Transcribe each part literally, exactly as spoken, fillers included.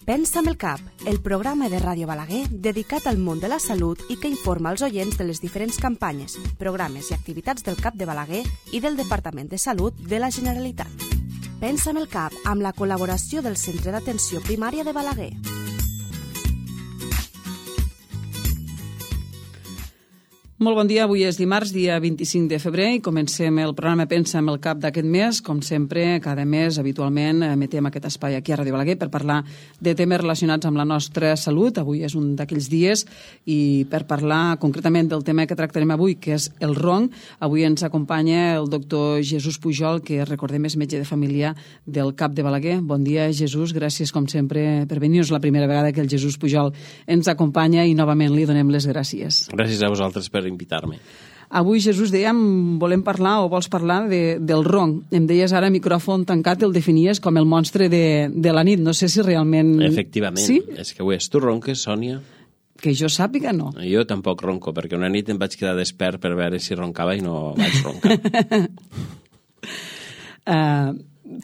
Pensa amb el cap, el programa de Ràdio Balaguer dedicat al món de la salut i que informa els oients de les diferents campanyes, programes i activitats del CAP de Balaguer i del Departament de Salut de la Generalitat. Pensa amb el cap amb la col·laboració del Centre d'Atenció Primària de Balaguer. Molt bon dia, avui és dimarts, dia vint-i-cinc de febrer, i comencem el programa Pensa amb el cap d'aquest mes. Com sempre, cada mes, habitualment, emetem aquest espai aquí a Ràdio Balaguer per parlar de temes relacionats amb la nostra salut. Avui és un d'aquells dies, i per parlar concretament del tema que tractarem avui, que és el ronc, avui ens acompanya el doctor Jesús Pujol, que recordem és metge de família del CAP de Balaguer. Bon dia, Jesús, gràcies com sempre per venir. És la primera vegada que el Jesús Pujol ens acompanya i novament li donem les gràcies. Gràcies a vosaltres per invitar-me. Avui, Jesús, dèiem, volem parlar o vols parlar de, del ronc. Em deies ara, micròfon tancat, el definies com el monstre de, de la nit. No sé si realment... Efectivament. Sí? És que ho és. Tu ronques, Sònia? Que jo sàpiga, no. Jo tampoc ronco, perquè una nit em vaig quedar despert per veure si roncava i no vaig roncar. uh,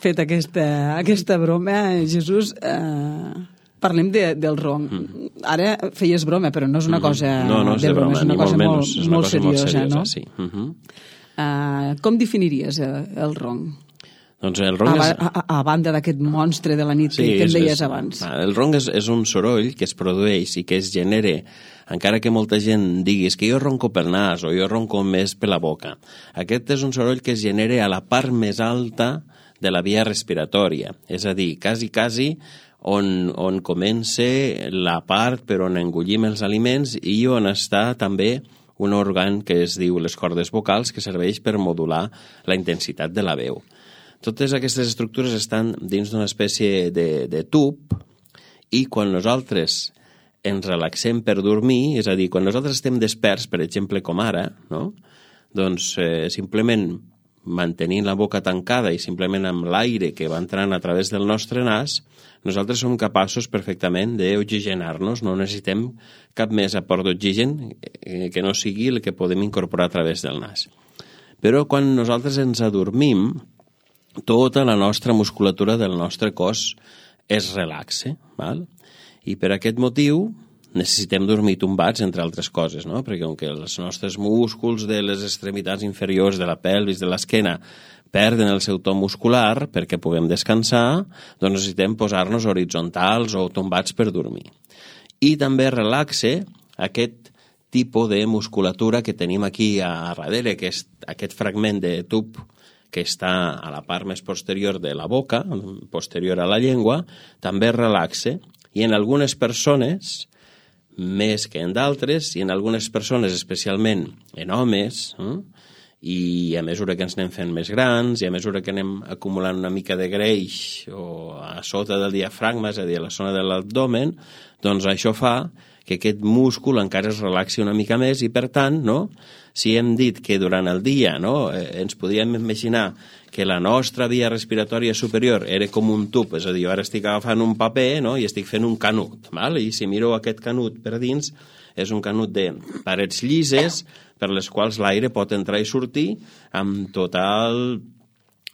fet aquesta, aquesta broma, Jesús... Uh... Parlem de, del ronc. Mm. Ara feies broma, però no és una cosa no, no és de broma, és una cosa molt, molt, menys, és una molt cosa seriosa, molt seriosa, no? Sí. Uh-huh. Uh, com definiries el, el ronc? Doncs el ronc a, és... a, a, a banda d'aquest monstre de la nit sí, que, que em deies és, abans. El ronc és, és un soroll que es produeix i que es genera, encara que molta gent digui que jo ronco pel nas o jo ronco més per la boca. Aquest és un soroll que es genera a la part més alta de la via respiratòria, és a dir, quasi, quasi on, on comença la part per on engullim els aliments i on està també un òrgan que es diu les cordes vocals, que serveix per modular la intensitat de la veu. Totes aquestes estructures estan dins d'una espècie de, de tub, i quan nosaltres ens relaxem per dormir, és a dir, quan nosaltres estem desperts, per exemple, com ara, no? doncs eh, simplement mantenint la boca tancada i simplement amb l'aire que va entrant a través del nostre nas, nosaltres som capaços perfectament d'oxigenar-nos, no necessitem cap més aport d'oxigen que no sigui el que podem incorporar a través del nas. Però quan nosaltres ens adormim, tota la nostra musculatura del nostre cos es relaxa, val? I per aquest motiu necessitem dormir tombats, entre altres coses, no? Perquè com que els nostres músculs de les extremitats inferiors, de la pelvis, de l'esquena, perden el seu to muscular perquè puguem descansar, doncs necessitem posar-nos horitzontals o tombats per dormir. I també relaxa aquest tipus de musculatura que tenim aquí a darrere, que és aquest fragment de tub que està a la part més posterior de la boca, posterior a la llengua, també relaxa, i en algunes persones més que en d'altres, i en algunes persones, especialment en homes, eh? i a mesura que ens anem fent més grans, i a mesura que anem acumulant una mica de greix o a sota del diafragma, és a dir, a la zona de l'abdomen, doncs això fa que aquest múscul encara es relaxi una mica més, i per tant, no? Si hem dit que durant el dia, no? eh, ens podríem imaginar que la nostra via respiratòria superior era com un tub, és a dir, jo ara estic agafant un paper, no? I estic fent un canut, val? I si miro aquest canut per dins, és un canut de parets llises per les quals l'aire pot entrar i sortir amb total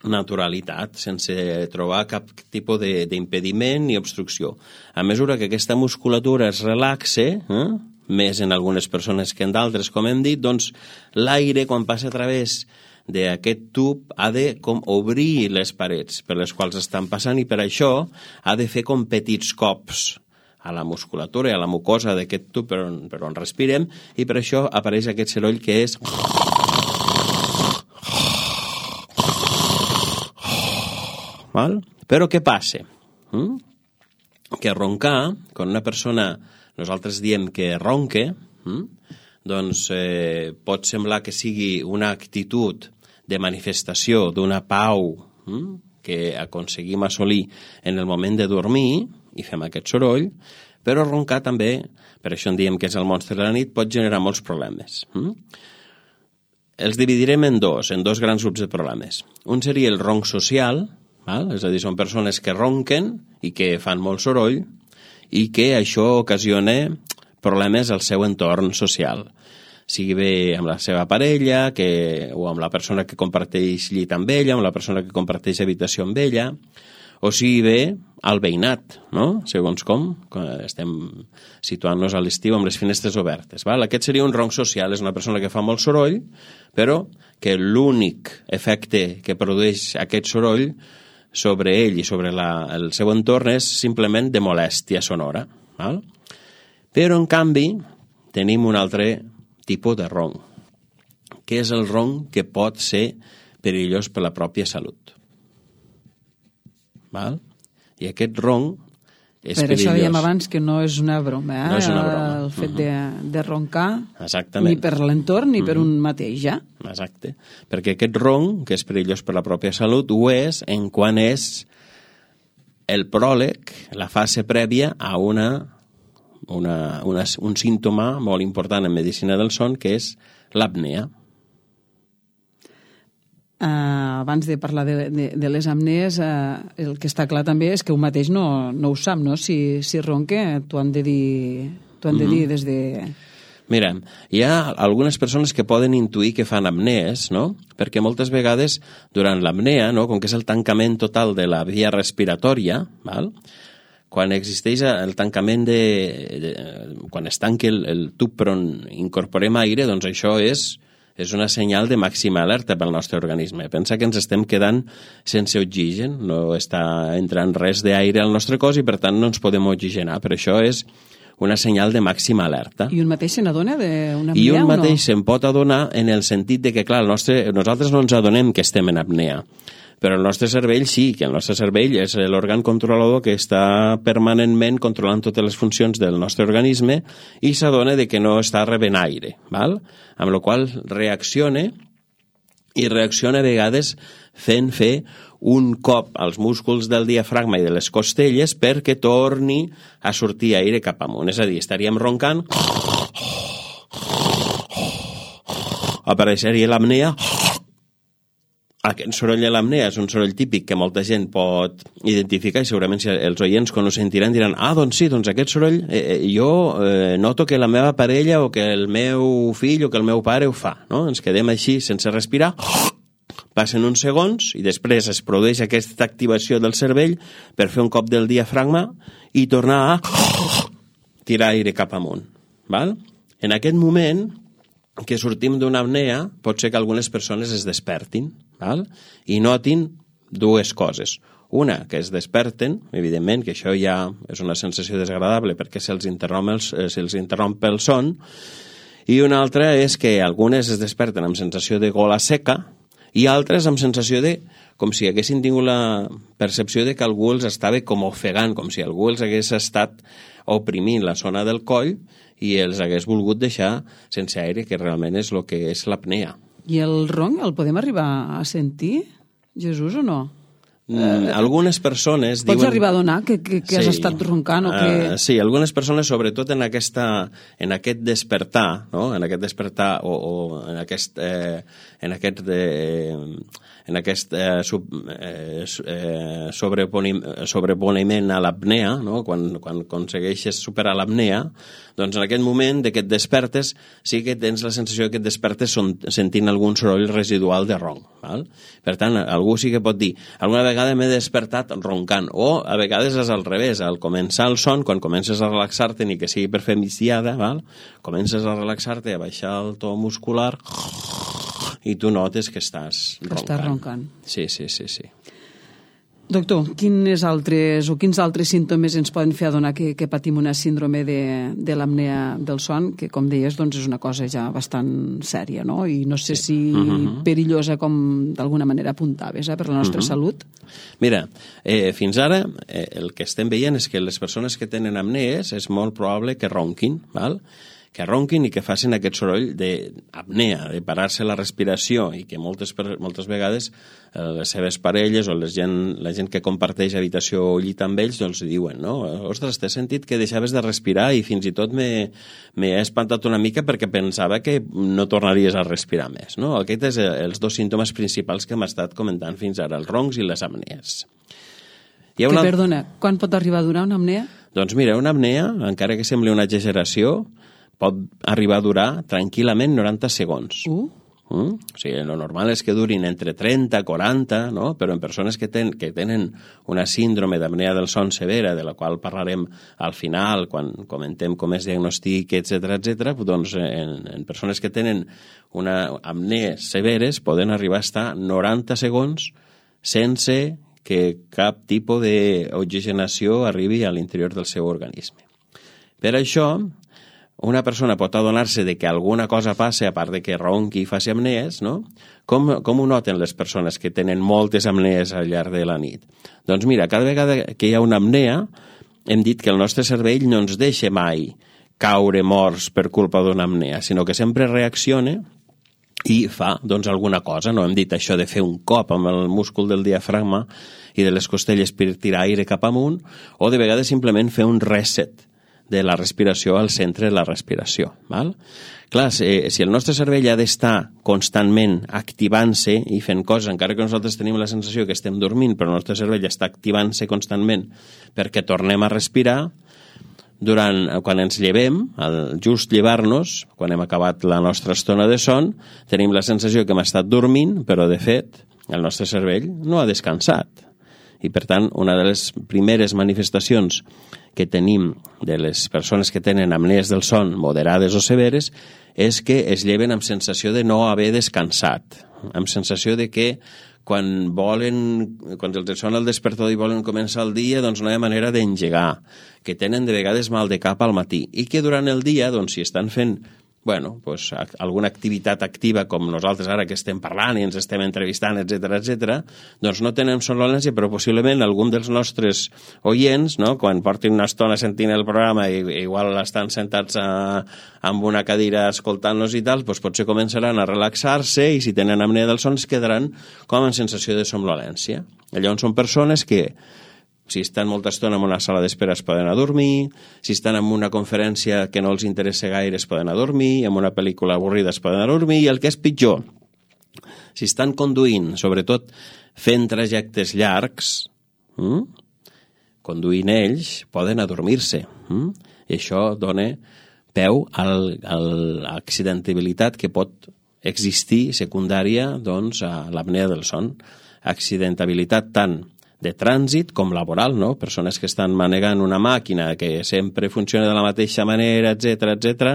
naturalitat, sense trobar cap tipus d'impediment ni obstrucció. A mesura que aquesta musculatura es relaxa, eh? més en algunes persones que en d'altres, com hem dit, doncs l'aire, quan passa a través d'aquest tub, ha de com obrir les parets per les quals estan passant, i per això ha de fer com petits cops a la musculatura i a la mucosa d'aquest tub per on, per on respirem, i per això apareix aquest soroll que és... Val? Però què passa? Mm? Que roncar, quan una persona, nosaltres diem que ronque, mm? doncs eh, pot semblar que sigui una actitud de manifestació d'una pau mm? que aconseguim assolir en el moment de dormir, i fem aquest soroll, però roncar també, per això en diem que és el monstre de la nit, pot generar molts problemes. Mm? Els dividirem en dos, en dos grans grups de problemes. Un seria el ronc social, val? És a dir, són persones que ronquen i que fan molt soroll, i que això ocasiona problemes al seu entorn social, sigui bé amb la seva parella, que, o amb la persona que comparteix llit amb ella, amb la persona que comparteix habitació amb ella, o sigui bé al veïnat, no? Segons com, estem situant-nos a l'estiu amb les finestres obertes. Val? Aquest seria un ronc social, és una persona que fa molt soroll, però que l'únic efecte que produeix aquest soroll sobre ell i sobre la, el seu entorn és simplement de molèstia sonora. Val? Però, en canvi, tenim un altre tipus de ronc, que és el ronc que pot ser perillós per la pròpia salut. Val? I aquest ronc és per perillós. això dèiem abans que no és una broma, eh? No és una broma. El fet uh-huh. de, de roncar, exactament, ni per l'entorn ni uh-huh. per un mateix, ja. Exacte, perquè aquest ronc, que és perillós per la pròpia salut, ho és en quan és el pròleg, la fase prèvia a una, una, una, un símptoma molt important en medicina del son, que és l'apnea. Uh, abans de parlar de, de, de les apnees, uh, el que està clar també és que un mateix no, no ho sap, no? Si, si ronque, t'ho han de dir, t'ho han de dir des de... Mira, hi ha algunes persones que poden intuir que fan apnees, no? Perquè moltes vegades, durant l'apnea, no? Com que és el tancament total de la via respiratòria, val? Quan existeix el tancament de... de quan es tanqui el, el tub per on incorporem aire, doncs això és... és una senyal de màxima alerta pel nostre organisme. Pensa que ens estem quedant sense oxigen, no està entrant res d'aire al nostre cos i, per tant, no ens podem oxigenar. Per això és una senyal de màxima alerta. I un mateix se n'adona d'una apnea I un o no? mateix se'n pot adonar en el sentit de que, clar, el nostre, nosaltres no ens adonem que estem en apnea, però el nostre cervell sí, que el nostre cervell és l'òrgan controlador que està permanentment controlant totes les funcions del nostre organisme i s'adona de que no està rebent aire, val? Amb la qual reacciona i reacciona a vegades fent fer un cop als músculs del diafragma i de les costelles perquè torni a sortir aire cap amunt. És a dir, estaríem roncant, apareixeria l'apnea. Aquest soroll de l'apnea és un soroll típic que molta gent pot identificar i segurament si els oients quan ho sentiran diran ah, doncs sí, doncs aquest soroll eh, jo eh, noto que la meva parella o que el meu fill o que el meu pare ho fa, no? Ens quedem així sense respirar, passen uns segons i després es produeix aquesta activació del cervell per fer un cop del diafragma i tornar a tirar aire cap amunt, val? En aquest moment que sortim d'una apnea, pot ser que algunes persones es despertin, val? I notin dues coses. Una, que es desperten, evidentment, que això ja és una sensació desagradable perquè se'ls interromp, els, eh, se'ls interromp el son, i una altra és que algunes es desperten amb sensació de gola seca i altres amb sensació de, com si haguessin tingut la percepció de que algú els estava com ofegant, com si algú els hagués estat oprimint la zona del coll i els hagués volgut deixar sense aire, que realment és el que és l'apnea. I el ronc el podem arribar a sentir, Jesús, o no? Mm, algunes persones Pots diuen... arribar a donar que, que, que sí. has estat roncant o que... Uh, sí, algunes persones, sobretot en, aquesta, en aquest despertar, no? En aquest despertar o, o en aquest... Eh, en aquest... Eh, en aquest eh, sub, eh, eh, sobreponiment a l'apnea, no? quan, quan aconsegueixes superar l'apnea, doncs en aquest moment de que et despertes sí que tens la sensació que et despertes son, sentint algun soroll residual de ronc. Val? Per tant, algú sí que pot dir alguna vegada m'he despertat roncant, o a vegades és al revés, al començar el son, quan comences a relaxar-te, ni que sigui per fer migdiada, val? Comences a relaxar-te, a baixar el to muscular i tu notes que estàs roncant. Estàs roncant. Sí, sí, sí, sí. Doctor, quines altres o quins altres símptomes ens poden fer adonar que, que patim una síndrome de, de l'apnea del son, que com deies doncs és una cosa ja bastant sèria, no? I no sé si uh-huh. perillosa com d'alguna manera apuntaves eh, per la nostra uh-huh. salut. Mira, eh, fins ara eh, el que estem veient és que les persones que tenen apnees és molt probable que ronquin, val? que ronquin i que facin aquest soroll d'apnea, de parar-se la respiració, i que moltes, moltes vegades eh, les seves parelles o les gent, la gent que comparteix habitació o llit amb ells doncs diuen, no? Ostres, t'he sentit que deixaves de respirar i fins i tot m'he espantat una mica perquè pensava que no tornaries a respirar més, no? Aquests són els dos símptomes principals que hem estat comentant fins ara, els roncs i les apnees. Que, una... perdona, quan pot arribar a durar una apnea? Doncs mira, una apnea, encara que sembli una exageració, pot arribar a durar tranquil·lament noranta segons. Uh. Mm? O sigui, el normal és que durin entre trenta, quaranta, no? Però en persones que, ten, que tenen una síndrome d'apnea del son severa, de la qual parlarem al final, quan comentem com es diagnostica, etcètera, etcètera, doncs en, en persones que tenen una apnees severes poden arribar a estar noranta segons sense que cap tipus d'oxigenació arribi a l'interior del seu organisme. Per això, una persona pot adonar-se de que alguna cosa passa, a part de que ronqui i faci apnees, no? Com, com ho noten les persones que tenen moltes apnees al llarg de la nit? Doncs mira, cada vegada que hi ha una apnea, hem dit que el nostre cervell no ens deixa mai caure morts per culpa d'una apnea, sinó que sempre reacciona i fa, doncs, alguna cosa. No hem dit això de fer un cop amb el múscul del diafragma i de les costelles per tirar aire cap amunt, o de vegades simplement fer un reset de la respiració al centre de la respiració. Val? Clar, si, si el nostre cervell ha d'estar constantment activant-se i fent coses, encara que nosaltres tenim la sensació que estem dormint, però el nostre cervell està activant-se constantment perquè tornem a respirar, durant, quan ens llevem, al just llevar-nos, quan hem acabat la nostra estona de son, tenim la sensació que hem estat dormint, però de fet el nostre cervell no ha descansat. I per tant, una de les primeres manifestacions que tenim de les persones que tenen apnees del son moderades o severes és que es lleven amb sensació de no haver descansat, amb sensació de que quan volen, quan els sona el despertador i volen començar el dia, doncs no hi ha manera d'engegar, que tenen de vegades mal de cap al matí i que durant el dia, doncs si estan fent bueno, pues, alguna activitat activa com nosaltres ara que estem parlant i ens estem entrevistant, etcètera, etcètera, doncs no tenen somnolència, però possiblement algun dels nostres oients, no, quan portin una estona sentint el programa i igual estan sentats a, amb una cadira escoltant-nos i tal, doncs potser començaran a relaxar-se i si tenen apnea del son es quedaran com en sensació de somnolència. Llavors són persones que si estan molta estona en una sala d'espera es poden adormir, si estan en una conferència que no els interessa gaire es poden adormir, en una pel·lícula avorrida es poden adormir, i el que és pitjor, si estan conduint, sobretot fent trajectes llargs, hm? conduint ells, poden adormir-se. Hm? I això dona peu al, a l'accidentabilitat que pot existir secundària doncs, a l'apnea del son. Accidentabilitat tant de trànsit com laboral, no? Persones que estan manegant una màquina que sempre funciona de la mateixa manera, etcètera, etcètera,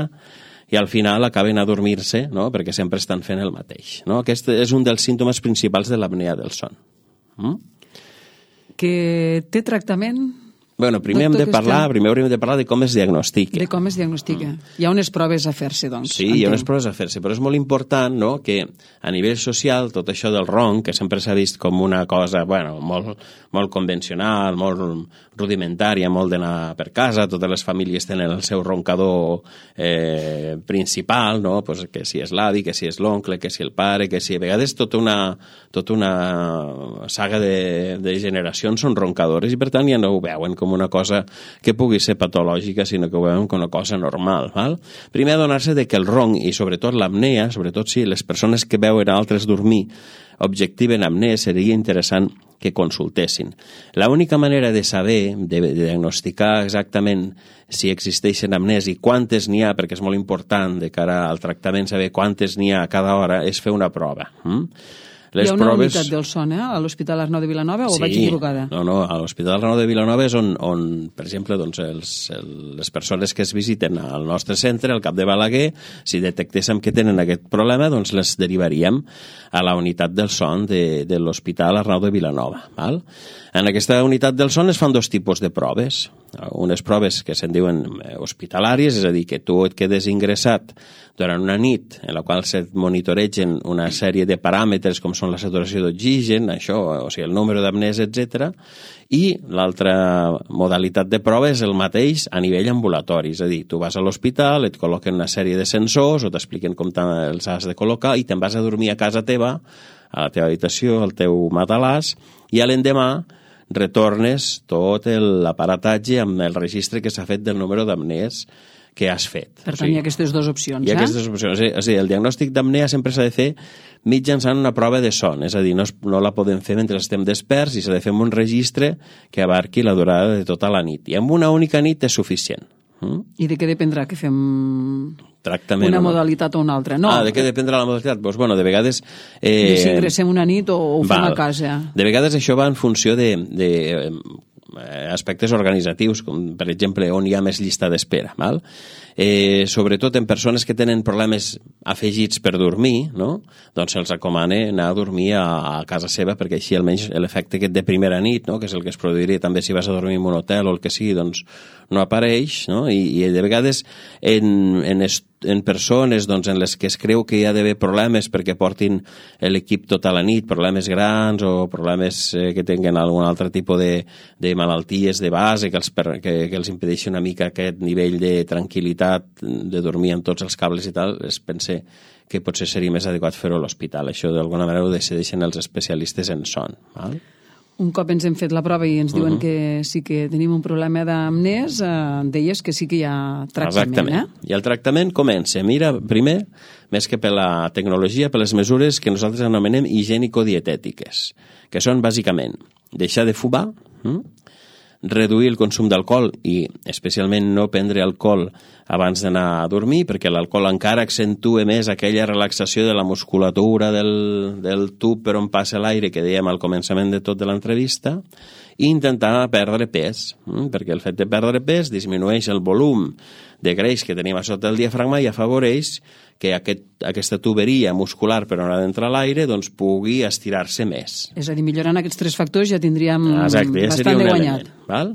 i al final acaben a dormir-se, no? Perquè sempre estan fent el mateix. No? Aquest és un dels símptomes principals de l'apnea del son. Mm? Que té tractament? Bueno, primer hem de parlar, primer hauríem de parlar de com es diagnostica. De com es diagnostica. Mm. Hi ha unes proves a fer-se, doncs. Sí, entenc. Hi ha unes proves a fer-se, però és molt important, no?, que a nivell social tot això del ronc, que sempre s'ha vist com una cosa, bueno, molt, molt convencional, molt rudimentària, molt d'anar per casa, totes les famílies tenen el seu roncador eh, principal, no?, pues que si és l'avi, que si és l'oncle, que si el pare, que si a vegades tota una, tota una saga de, de generacions són roncadores i per tant ja no ho veuen com una cosa que pugui ser patològica, sinó que ho veuen com una cosa normal. Val? Primer adonar-se de que el ronc i sobretot l'apnea, sobretot si les persones que veuen altres dormir objectiven apnea, seria interessant que consultessin. L'única manera de saber, de, de diagnosticar exactament si existeixen apnees i quantes n'hi ha, perquè és molt important de cara al tractament saber quantes n'hi ha a cada hora, és fer una prova. Mm? Les Hi ha una proves... unitat del son, eh? A l'Hospital Arnau de Vilanova, o sí, vaig equivocada? No, no, a l'Hospital Arnau de Vilanova és on, on per exemple, doncs, els, el, les persones que es visiten al nostre centre, al Cap de Balaguer, si detectéssim que tenen aquest problema, doncs les derivaríem a la unitat del son de, de l'Hospital Arnau de Vilanova. Val? En aquesta unitat del son es fan dos tipus de proves. Unes proves que se'n diuen hospitalàries, és a dir, que tu et quedes ingressat durant una nit en la qual se't monitoregen una sèrie de paràmetres com són la saturació d'oxigen, això, o sigui, el número d'apnees, etcètera, i l'altra modalitat de prova és el mateix a nivell ambulatori, és a dir, tu vas a l'hospital, et col·loquen una sèrie de sensors o t'expliquen com els has de col·locar i te'n vas a dormir a casa teva, a la teva habitació, al teu matalàs, i a l'endemà retornes tot l'aparatatge amb el registre que s'ha fet del número d'apnees que has fet. Per tant, o sigui, hi ha aquestes dues opcions, hi ha eh? aquestes opcions. És a dir, el diagnòstic d'apnea sempre s'ha de fer mitjançant una prova de son, és a dir, no, es, no la podem fer mentre estem desperts i s'ha de fer un registre que abarqui la durada de tota la nit. I amb una única nit és suficient. Mm? I de què dependrà que fem Tractament una o no? modalitat o una altra? No. Ah, de què dependrà la modalitat? Doncs, bueno, de vegades... Eh, Eh, si ingressem una nit o ho fem val. a casa. De vegades això va en funció de, de eh, aspectes organitzatius, com per exemple on hi ha més llista d'espera, val? Eh, sobretot en persones que tenen problemes afegits per dormir, no? Doncs se'ls recomana anar a dormir a, a casa seva, perquè així almenys l'efecte aquest de primera nit, no? Que és el que es produiria també si vas a dormir en un hotel o el que sigui, doncs no apareix, no? I, i de vegades en, en, est, en persones doncs, en les que es creu que hi ha d'haver problemes perquè portin l'equip tota la nit, problemes grans o problemes eh, que tinguin algun altre tipus de, de malalties de base que els, per, que, que els impedeixi una mica aquest nivell de tranquil·litat de dormir amb tots els cables i tal, es pense que potser seria més adequat fer-ho a l'hospital. Això d'alguna manera ho decideixen els especialistes en son. Val? Un cop ens hem fet la prova i ens diuen Uh-huh. que sí que tenim un problema d'amnès, eh, deies que sí que hi ha tractament. Exactament. Eh? I el tractament comença, mira, primer, més que per la tecnologia, per les mesures que nosaltres anomenem higiènico-dietètiques, que són bàsicament deixar de fumar, hm? reduir el consum d'alcohol i especialment no prendre alcohol abans d'anar a dormir, perquè l'alcohol encara accentua més aquella relaxació de la musculatura del, del tub per on passa l'aire que dèiem al començament de tot de l'entrevista, i intentar perdre pes, hm? perquè el fet de perdre pes disminueix el volum de greix que tenim a sota el diafragma i afavoreix que aquest, aquesta tuberia muscular per on ha d'entrar l'aire doncs, pugui estirar-se més. És a dir, millorant aquests tres factors ja tindríem Exacte, ja bastant de guanyat. Element, val?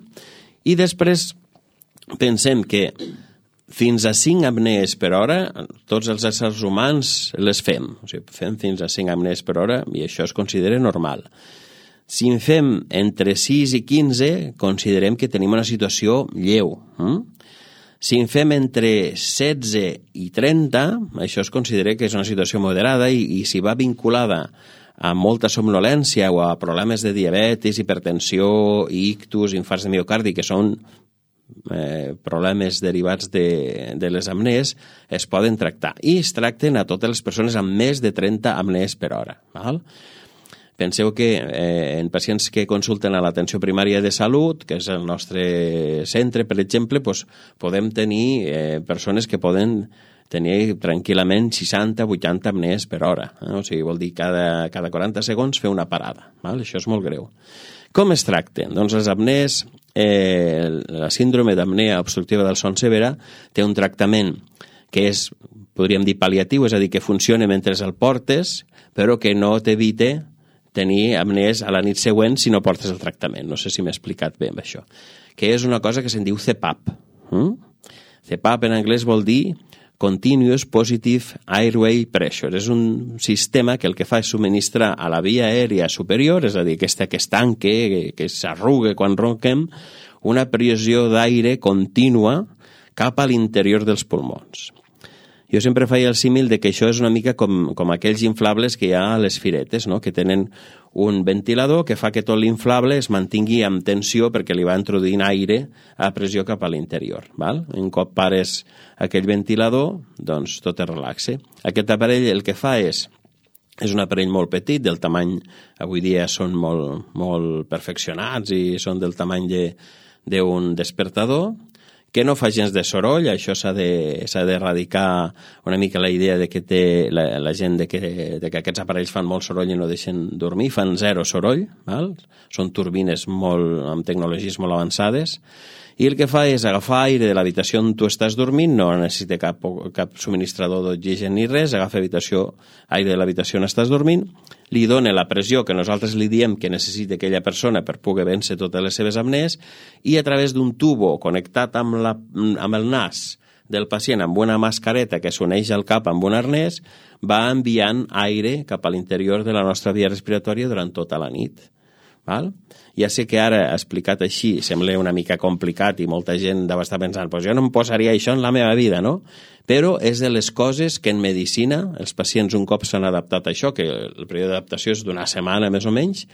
I després pensem que fins a cinc apnees per hora, tots els éssers humans les fem. O sigui, fem fins a cinc apnees per hora i això es considera normal. Si en fem entre sis i quinze, considerem que tenim una situació lleu. Hm? Si en fem entre setze i trenta, això es considera que és una situació moderada i, i si va vinculada a molta somnolència o a problemes de diabetis, hipertensió, ictus, infarts de miocardi, que són eh, problemes derivats de, de les apnees, es poden tractar. I es tracten a totes les persones amb més de trenta apnees per hora. Val? Penseu que eh, en pacients que consulten a l'atenció primària de salut, que és el nostre centre, per exemple, doncs podem tenir eh, persones que poden tenir tranquil·lament seixanta a vuitanta apnees per hora. Eh? O sigui, vol dir cada, cada quaranta segons fer una parada. Val? Això és molt greu. Com es tracten? Doncs les apnees, eh, la síndrome d'apnea obstructiva del son severa té un tractament que és, podríem dir, pal·liatiu, és a dir, que funciona mentre el portes, però que no t'evita tenir apnees a la nit següent si no portes el tractament. No sé si m'he explicat bé amb això. Que és una cosa que se'n diu C PAP. Mm? C PAP en anglès vol dir Continuous Positive Airway Pressure. És un sistema que el que fa és subministrar a la via aèria superior, és a dir, aquesta que es tanque, que, que s'arruga quan ronquem, una pressió d'aire contínua cap a l'interior dels pulmons. Jo sempre feia el símil de que això és una mica com, com aquells inflables que hi ha a les firetes, no? Que tenen un ventilador que fa que tot l'inflable es mantingui amb tensió perquè li va introduint aire a pressió cap a l'interior. Val? Un cop pares aquell ventilador, doncs tot es relaxa. Aquest aparell el que fa és, és un aparell molt petit, del tamany, avui dia són molt, molt perfeccionats i són del tamany de, d'un despertador, que no fa gens de soroll. Això s'ha de, s'ha d'erradicar una mica la idea de que té la, la gent de que, de que aquests aparells fan molt soroll i no deixen dormir, fan zero soroll, val? Són turbines molt, amb tecnologies molt avançades, i el que fa és agafar aire de l'habitació on tu estàs dormint, no necessita cap, cap subministrador d'oxigen ni res, agafa habitació, aire de l'habitació on estàs dormint, li dona la pressió que nosaltres li diem que necessita aquella persona per poder vèncer totes les seves apnees, i a través d'un tubo connectat amb, la, amb el nas del pacient amb una mascareta que s'uneix al cap amb un arnès, va enviant aire cap a l'interior de la nostra via respiratòria durant tota la nit. Val? Ja sé que ara, explicat així, sembla una mica complicat i molta gent deu estar pensant pues jo no em posaria això en la meva vida, no? Però és de les coses que en medicina els pacients un cop s'han adaptat a això, que el període d'adaptació és d'una setmana més o menys,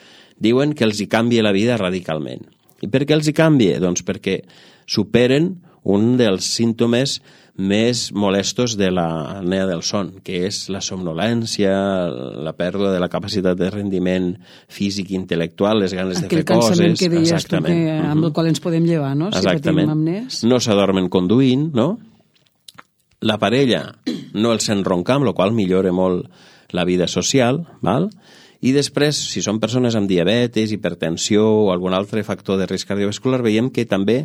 diuen que els hi canvia la vida radicalment. I per què els hi canvia? Doncs perquè superen un dels símptomes més molestos de la apnea del son, que és la somnolència, la pèrdua de la capacitat de rendiment físic i intel·lectual, les ganes Aquell de fer coses. Aquell cansament que deies tu, que, amb el qual ens podem llevar, no? Exactament. Si patim apnees. No s'adormen conduint, no? La parella no el sent roncar, amb la qual millora molt la vida social, val? I després, si són persones amb diabetes, hipertensió o algun altre factor de risc cardiovascular, veiem que també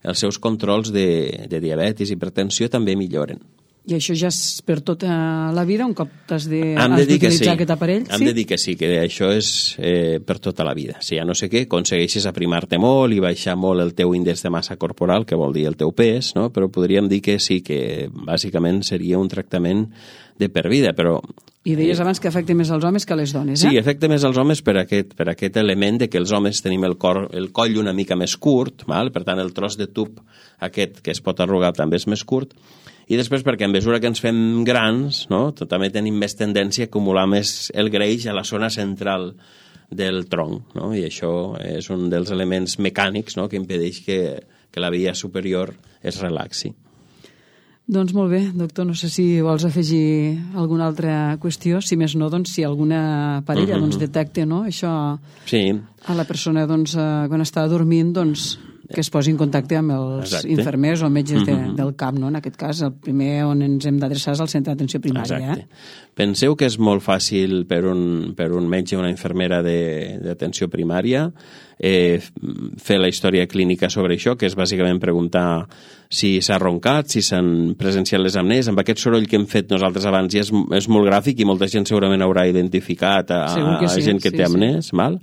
els seus controls de, de diabetis i hipertensió també milloren. I això ja és per tota la vida, un cop t'has sí. d'utilitzar sí. aquest aparell? Hem sí? de dir que sí, que això és eh, per tota la vida. Si ja no sé què, aconsegueixes aprimar-te molt i baixar molt el teu índex de massa corporal, que vol dir el teu pes, no? Però podríem dir que sí, que bàsicament seria un tractament de per vida, però... I deies abans que afecta més als homes que a les dones, eh? Sí, afecta més als homes per aquest, per aquest element de que els homes tenim el, cor, el coll una mica més curt, val? Per tant el tros de tub aquest que es pot arrugar també és més curt, i després perquè a mesura que ens fem grans, no? També tenim més tendència a acumular més el greix a la zona central del tronc, no? I això és un dels elements mecànics, no? Que impedeix que, que la via superior es relaxi. Doncs molt bé, doctor, no sé si vols afegir alguna altra qüestió, si més no, doncs, si alguna parella uh-huh. doncs, detecta, no? Això sí. a la persona doncs, quan està dormint, doncs, que es posi en contacte amb els Exacte. infermers o metges de, uh-huh. del camp, no? En aquest cas, el primer on ens hem d'adreçar és al centre d'atenció primària. Exacte. Eh? Penseu que és molt fàcil per un, per un metge o una infermera d'atenció primària eh, fer la història clínica sobre això, que és bàsicament preguntar si s'ha roncat, si s'han presenciat les apnees. Amb aquest soroll que hem fet nosaltres abans ja és, és molt gràfic i molta gent segurament haurà identificat a, a sí, gent que sí, té apnees, sí. Val?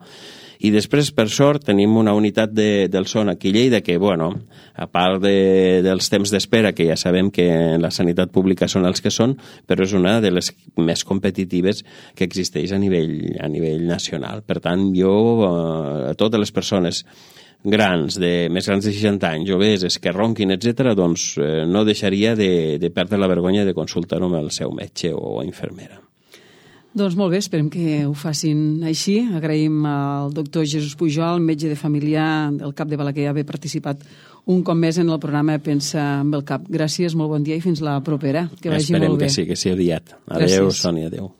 I després, per sort, tenim una unitat de, del son aquí a Lleida que, bueno, a part de, dels temps d'espera, que ja sabem que en la sanitat pública són els que són, però és una de les més competitives que existeix a nivell, a nivell nacional. Per tant, jo, a totes les persones grans, de, més grans de seixanta anys, obeses, que ronquin, etcètera, doncs eh, no deixaria de, de perdre la vergonya de consultar-ho amb el seu metge o infermera. Doncs molt bé, esperem que ho facin així. Agraïm al doctor Jesús Pujol, metge de familiar del CAP de Balaguer, haver participat un cop més en el programa Pensa amb el CAP. Gràcies, molt bon dia i fins la propera. Que vagi Esperem molt bé. Esperem que sí, que sigui aviat. Adéu, Sònia, adéu.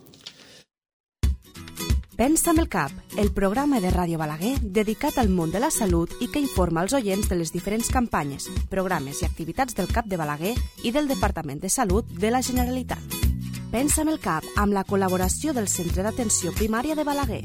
Pensa amb el CAP, el programa de Ràdio Balaguer dedicat al món de la salut i que informa els oients de les diferents campanyes, programes i activitats del CAP de Balaguer i del Departament de Salut de la Generalitat. Pensa amb el CAP amb la col·laboració del Centre d'Atenció Primària de Balaguer.